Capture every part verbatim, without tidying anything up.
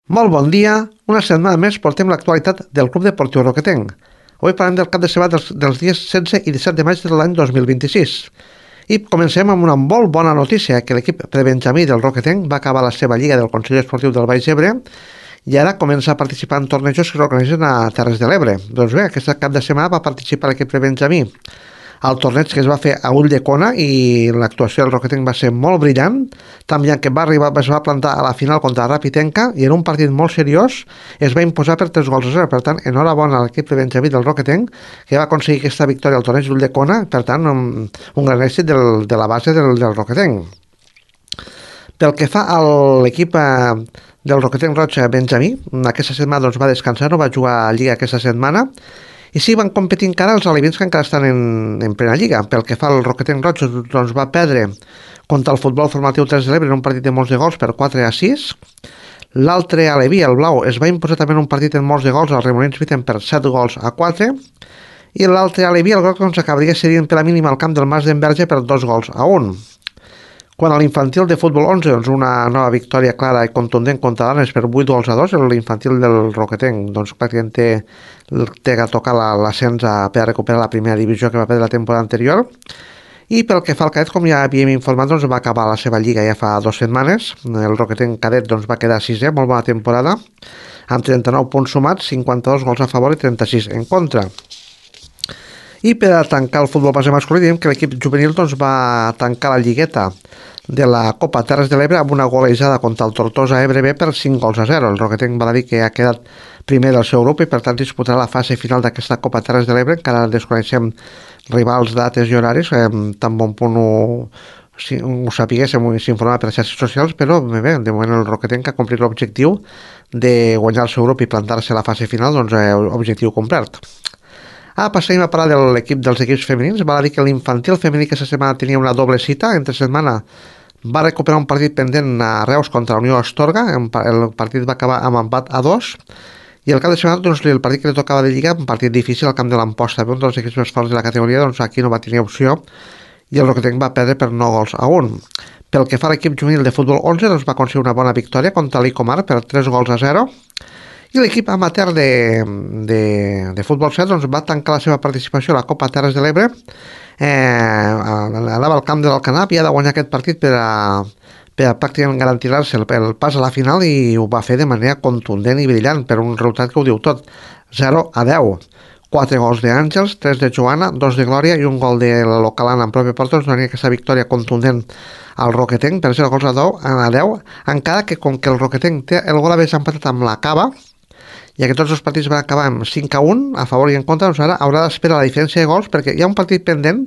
Molt bon dia, una setmana més portem l'actualitat del Club Deportiu Roquetenc. Avui parlem del cap de setmana dels, dels dies setze i disset de maig de l'any dos mil vint-i-sis. I comencem amb una molt bona notícia, que l'equip prebenjamí del Roquetenc va acabar la seva lliga del Consell Esportiu del Baix Ebre i ara comença a participar en tornejos que s'organitzen a Terres de l'Ebre. Doncs bé, aquest cap de setmana va participar l'equip prebenjamí al torneig que es va fer a Ulldecona i l'actuació del Roquetenc va ser molt brillant, també que va arribar, es va plantar a la final contra Rapitenca i en un partit molt seriós es va imposar per tres gols a zero. Per tant, enhorabona a l'equip de Benjamí del Roquetenc, que va aconseguir aquesta victòria al torneig d'Ulldecona, per tant, un, un gran èxit del, de la base del, del Roquetenc. Pel que fa a l'equip eh, del Roquetenc Roig Benjamí, aquesta setmana doncs, va descansar, no va jugar a Lliga aquesta setmana, i sí, van competir encara els alevins que encara estan en, en plena lliga. Pel que fa al Roquetenc Roig, doncs va perdre contra el futbol formatiu Terres de l'Ebre en un partit de molts de gols per quatre a sis. L'altre aleví, el blau, es va imposar també en un partit en molts de gols al Remolins Viten per set gols a quatre. I l'altre aleví, el groc, doncs acabaria cedint per la mínima al camp del Mas d'Enverge per dos gols a un. Quan a l'infantil de futbol onze, doncs una nova victòria clara i contundent contra l'Anes per vuit gols a dos, l'infantil del Roquetenc doncs pràcticament té, té que tocar l'ascens per recuperar la primera divisió que va perdre la temporada anterior. I pel que fa al cadet, com ja havíem informat, doncs va acabar la seva lliga ja fa dues setmanes. El Roquetenc cadet doncs, va quedar sisè, molt bona temporada, amb trenta-nou punts sumats, cinquanta-dos gols a favor i trenta-sis en contra. I per a tancar el futbol base masculí, diem que l'equip juvenil doncs, va tancar la lligueta de la Copa Terres de l'Ebre amb una golejada contra el Tortosa Ebre B per cinc gols a zero. El Roquetenc va dir que ha quedat primer del seu grup i per tant disputarà la fase final d'aquesta Copa Terres de l'Ebre. Encara desconeixem rivals, dates i horaris, eh, tan bon punt ho, si, ho sapiguéssim i s'informava per les xarxes socials, però bé, de moment el Roquetenc ha complit l'objectiu de guanyar el seu grup i plantar-se a la fase final, doncs eh, objectiu complert. Ah, passem a parlar de l'equip dels equips femenins. Val a dir que l'infantil femení aquesta setmana tenia una doble cita. Entre setmana va recuperar un partit pendent a Reus contra la Unió Astorga. El partit va acabar amb empat a dos. I el cap de setmana, doncs, el partit que li tocava de lliga, un partit difícil al camp de l'Amposta, un dels equips més forts de la categoria, doncs aquí no va tenir opció i el Roquetenc va perdre per nou gols a un. Pel que fa a l'equip juvenil de futbol onze, doncs va aconseguir una bona victòria contra l'Icomar per tres gols a zero. I l'equip amateur de, de, de futbol set doncs, va tancar la seva participació a la Copa Terres de l'Ebre. Eh, anava al camp de l'Alcanar, havia de guanyar aquest partit per a, per a pràcticament garantir-se el, el pas a la final i ho va fer de manera contundent i brillant per un resultat que ho diu tot, zero a deu. quatre gols d'Àngels, tres de Joana, dos de Glòria i un gol de la localana en propi porta, doncs donaria aquesta victòria contundent al Roquetenc per zero gols a deu, encara que com que el Roquetenc té el gol haver empatat amb la Cava, ja que tots els partits van acabar amb cinc a un a favor i en contra, doncs ara haurà d'esperar la diferència de gols perquè hi ha un partit pendent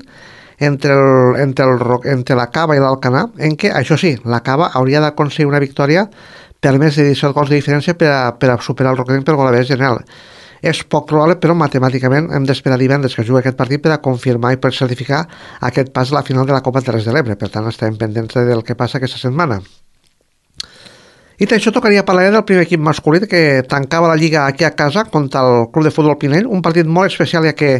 entre, el, entre, el, entre la Cava i l'Alcanar, en què, això sí, la Cava hauria d'aconseguir una victòria per més de disset gols de diferència per a, per a superar el Roquetenc per gol general. És poc probable, però matemàticament hem d'esperar divendres que jugui aquest partit per a confirmar i per certificar aquest pas a la final de la Copa Terres de l'Ebre. Per tant, estarem pendents del que passa aquesta setmana. I això tocaria parlar del primer equip masculí que tancava la lliga aquí a casa contra el Club de Futbol Pinell, un partit molt especial ja que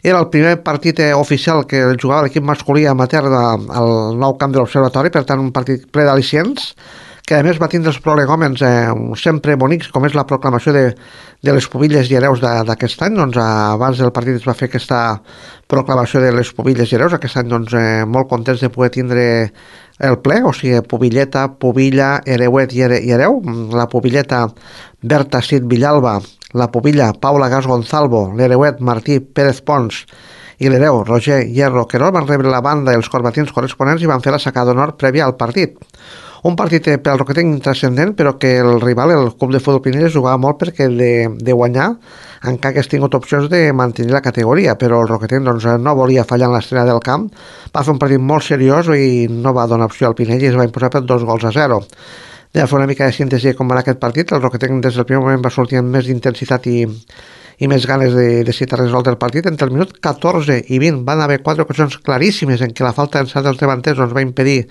era el primer partit oficial que jugava l'equip masculí amateur al nou camp de l'Observatori, per tant un partit ple d'al·licients, que a més va tindre els prolegòmens eh, sempre bonics, com és la proclamació de, de les pubilles i hereus d'aquest any. Doncs abans del partit es va fer aquesta proclamació de les pubilles i hereus, aquest any doncs, eh, molt contents de poder tindre el ple, o sigui, pubilleta, pubilla, hereuet i, here, i hereu. La pubilleta Berta Cid Villalba, la pubilla Paula Gas Gonzalvo, l'hereuet Martí Pérez Pons i l'hereu Roger Hierro Querol van rebre la banda i els corbatins corresponents i van fer la sacada d'honor prèvia al partit. Un partit per al Roquetenc intrascendent, però que el rival, el Club de Futbol Pinell, jugava molt perquè de, de guanyar, encara que hagués tingut opcions de mantenir la categoria, però el Roquetenc doncs, no volia fallar en l'estrena del camp, va fer un partit molt seriós i no va donar opció al Pinell i es va imposar per dos gols a zero. De fer una mica de síntesi de com va anar aquest partit, el Roquetenc des del primer moment va sortir amb més d'intensitat i, i més ganes de, de citar resolt el partit. Entre el minut catorze i vint van haver quatre ocasions claríssimes en què la falta d'encert dels davanters doncs, va impedir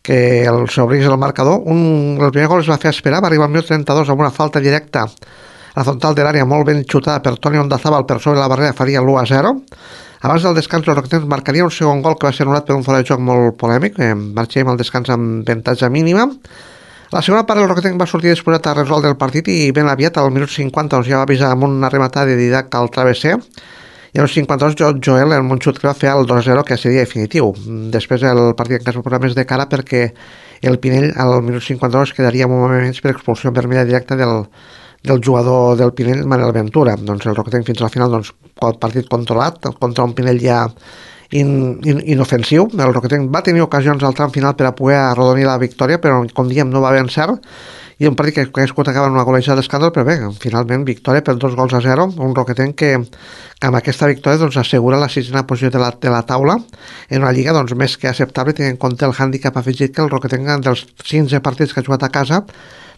que el s'obrís el marcador. Un, el primer gol es va fer esperar, va arribar al minut trenta-dos amb una falta directa a la frontal de l'àrea molt ben xutada per Toni Ondazábal per sobre la barrera, faria l'u a zero. Abans del descans, el Roquetenc marcaria un segon gol que va ser anul·lat per un fora de joc molt polèmic. Eh, marxem al descans amb avantatge mínima. La segona part del Roquetenc va sortir disposat a resoldre el partit i ben aviat, al minut cinquanta, doncs ja va avisar amb una rematada de Didac al travesser, i al cinquanta-dos jo, Joel, el Montxut, que va fer el dos a zero, que seria definitiu. Després el partit encara es va posar més de cara perquè el Pinell al minut cinquanta-dos quedaria un moment menys per expulsió vermella directa del, del jugador del Pinell, Manel Ventura. Doncs el Roquetenc fins al final, doncs, el partit controlat, contra un Pinell ja in, in, inofensiu. El Roquetenc va tenir ocasions al tram final per a poder arrodonir la victòria, però com diem no va ben cert, i un partit que ha escut acaba en una golejada d'escàndol, però bé, finalment victòria per dos gols a zero, un Roquetenc que, que amb aquesta victòria doncs, assegura la sisena posició de la, de la taula en una lliga doncs, més que acceptable, tenint en compte el hàndicap afegit que el Roquetenc dels quinze partits que ha jugat a casa,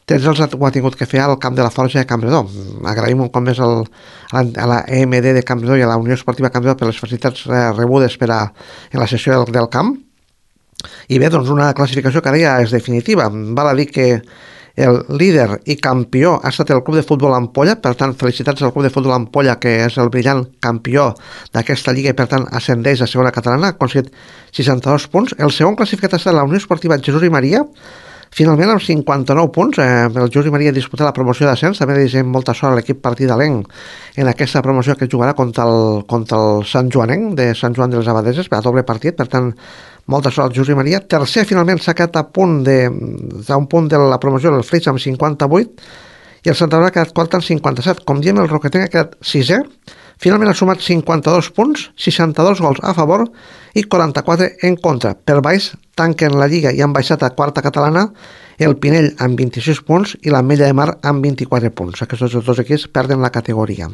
tres els ho ha tingut que fer al camp de la Forja de Campredó. Agraïm un cop més el, a, la, a la E M D de Campredó i a la Unió Esportiva Campredó per les facilitats eh, rebudes per a, en la sessió del, del camp. I bé, doncs una classificació que ara ja és definitiva. Val a dir que el líder i campió ha estat el Club de Futbol Ampolla, per tant, felicitats al Club de Futbol Ampolla, que és el brillant campió d'aquesta lliga i, per tant, ascendeix a segona catalana, ha aconseguit seixanta-dos punts. El segon classificat ha estat la Unió Esportiva Jesús i Maria, finalment amb cinquanta-nou punts. Eh, el Jesús i Maria ha disputat la promoció d'ascens, també desitgem molta sort a l'equip partidalenc en aquesta promoció que jugarà contra el, contra el Sant Joanenc de Sant Joan de les Abadeses, per a doble partit, per tant, molta sort al Jesús i Maria. Tercer, finalment, s'ha quedat a punt de, a un punt de la promoció del Flix amb cinquanta-vuit i el Santa Bàrbara ha quedat quart amb cinquanta-set. Com diem, el Roquetenc ha quedat sisè. Finalment ha sumat cinquanta-dos punts, seixanta-dos gols a favor i quaranta-quatre en contra. Per baix tanquen la Lliga i han baixat a quarta catalana el Pinell amb vint-i-sis punts i l'Ametlla de Mar amb vint-i-quatre punts. Aquests dos equips perden la categoria.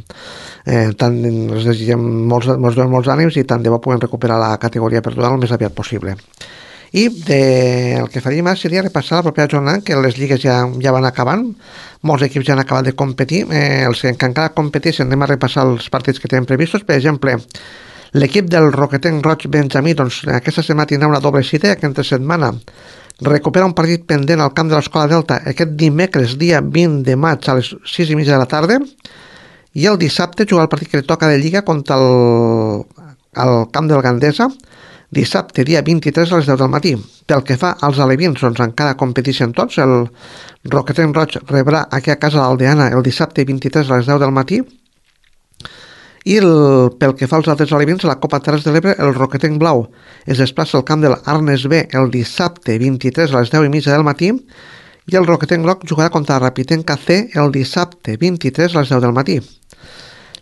Eh, tant els desitgem molts, molts, molts ànims i tant de bo puguem recuperar la categoria perduda el més aviat possible. I de, el que faríem ara seria repassar la propera jornada, que les lligues ja, ja van acabant, molts equips ja han acabat de competir, eh, els que encara competeixen anem a repassar els partits que tenen previstos. Per exemple, l'equip del Roquetenc Roig Benjamí, doncs aquesta setmana tindrà una doble cita, que entre setmana recupera un partit pendent al camp de l'Escola Delta aquest dimecres, dia vint de maig a les sis i mitja de la tarda, i el dissabte jugar el partit que li toca de Lliga contra el, el camp del Gandesa, dissabte, dia vint-i-tres a les deu del matí. Pel que fa als alevins, doncs encara competeixen tots. El Roquetenc Roig rebrà aquí a casa l'Aldeana el dissabte vint-i-tres a les deu del matí. I el, pel que fa als altres alevins, a la Copa Terres de l'Ebre, el Roquetenc Blau es desplaça al camp de l'Arnes B el dissabte vint-i-tres a les deu i mitja del matí i el Roquetenc Groc jugarà contra el Rapitenca C el dissabte vint-i-tres a les deu del matí.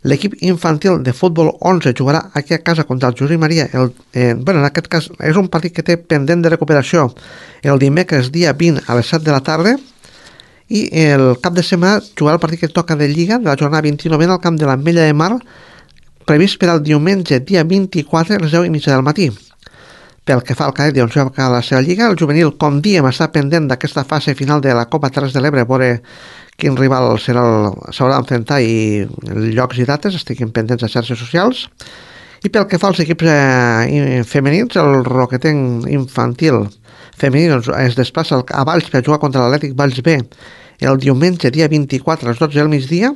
L'equip infantil de futbol onze jugarà aquí a casa contra el Jesús i Maria. El, eh, bueno, en aquest cas és un partit que té pendent de recuperació el dimecres dia vint a les set de la tarda i el cap de setmana jugarà el partit que toca de Lliga de la jornada vint-i-nou al camp de l'Ametlla de Mar, previst per al diumenge dia vint-i-quatre a les deu i mitja del matí. Pel que fa al cadet, doncs ja va acabar la seva lliga. El juvenil, com diem, està pendent d'aquesta fase final de la Copa Terres de l'Ebre, veure quin rival s'haurà d'enfrontar i llocs i dates, estiguin pendents a xarxes socials. I pel que fa als equips eh, femenins, el Roquetenc infantil femení doncs, es desplaça a Valls per jugar contra l'Atlètic Valls B el diumenge dia vint-i-quatre a les dotze del migdia.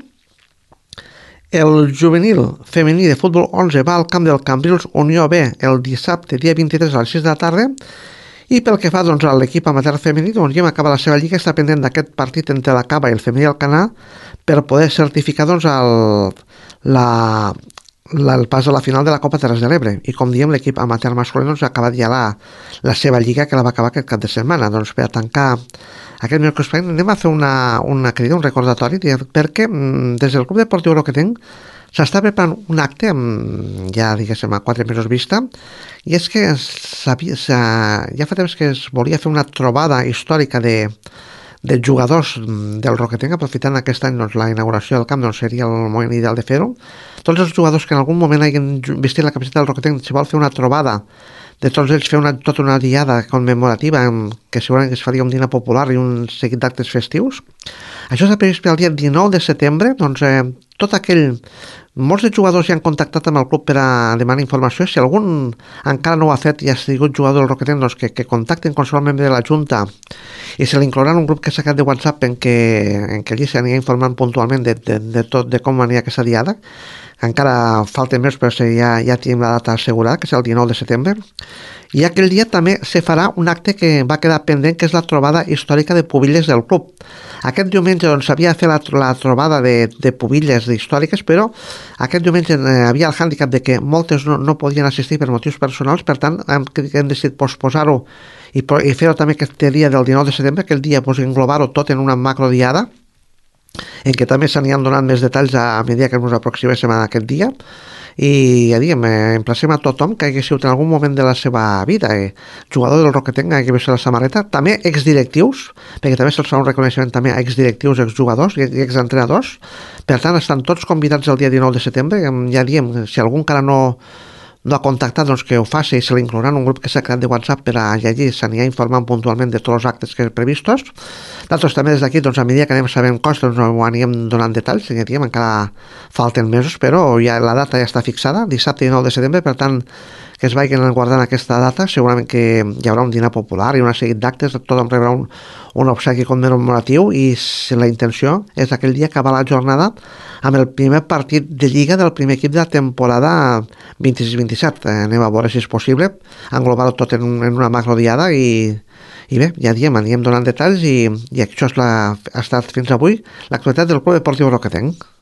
El juvenil femení de futbol onze va al camp del Cambrils Unió B el dissabte dia vint-i-tres a les sis de la tarda. I pel que fa doncs, a l'equip amateur femení, doncs ja acaba la seva lliga, està pendent d'aquest partit entre la Cava i el femení Alcanar per poder certificar doncs, el, la, la, el pas a la final de la Copa Terres de l'Ebre. I com diem, l'equip amateur masculí doncs, ha acabat ja la, la seva lliga, que la va acabar aquest cap de setmana. Doncs per a tancar aquest miércoles anem a fer una, una crida, un recordatori, perquè des del Club Deportiu Roquetenc s'està preparant un acte amb, ja diguéssim a quatre mesos vista, i és que sabia, ja fa temps que es volia fer una trobada històrica de, de jugadors del Roquetenc, aprofitant aquest any doncs, la inauguració del camp, doncs seria el moment ideal de fer-ho. Tots els jugadors que en algun moment hagin vestit la camiseta del Roquetenc, si vol fer una trobada de tots ells, fer una, tota una diada commemorativa que segurament es faria un dinar popular i un seguit d'actes festius. Això s'ha previst per al dia dinou de setembre. Doncs eh, tot aquell... Molts de jugadors ja han contactat amb el club per a demanar informació. Si algun encara no ho ha fet i ha sigut jugador del Roquetenc, doncs que, que contacten qualsevol membre de la Junta i se l'inclouran un grup que s'ha quedat de WhatsApp en què, en què allí s'anirà informant puntualment de, de, de tot, de com anirà aquesta diada. encara falten més, però ja, ja tenim la data assegurada, que és el dinou de setembre. I aquell dia també se farà un acte que va quedar pendent, que és la trobada històrica de pubilles del club. Aquest diumenge doncs, s'havia de fer la, la trobada de, de pubilles històriques, però aquest diumenge eh, havia el hàndicap de que moltes no, no podien assistir per motius personals, per tant hem, hem decidit posposar-ho i, i fer-ho també aquest dia del dinou de setembre, aquell dia pues, englobar-ho tot en una macrodiada, en què també s'aniran donant més detalls a, a mesura que ens aproximéssim a aquest dia. I ja diguem, eh, emplacem a tothom que hagi sigut en algun moment de la seva vida eh, jugador del Roquetenc, hagi vist la samarreta, també exdirectius, perquè també se'ls fa un reconeixement també a exdirectius, exjugadors i exentrenadors. Per tant, estan tots convidats el dia dinou de setembre. Ja diem, si algú encara no no ha contactat, doncs que ho faci i se l'inclourà en un grup que s'ha creat de WhatsApp per a allí s'anirà informant puntualment de tots els actes que previstos. Nosaltres també des d'aquí, doncs, a mesura que anem sabent coses, doncs, ho anirem donant detalls, ja diem, encara falten mesos, però ja la data ja està fixada, dissabte dinou de setembre, per tant, que es vagin guardant aquesta data, segurament que hi haurà un dinar popular i una sèrie d'actes, tothom rebrà un, un obsequi commemoratiu i la intenció és aquell dia acabar la jornada amb el primer partit de Lliga del primer equip de la temporada vint-i-sis vint-i-set. Eh, anem a veure si és possible englobar-ho tot en, un, en una macrodiada i, i bé, ja diem, anirem donant detalls i, i això és la, ha estat fins avui l'actualitat del Club Deportiu Roquetenc.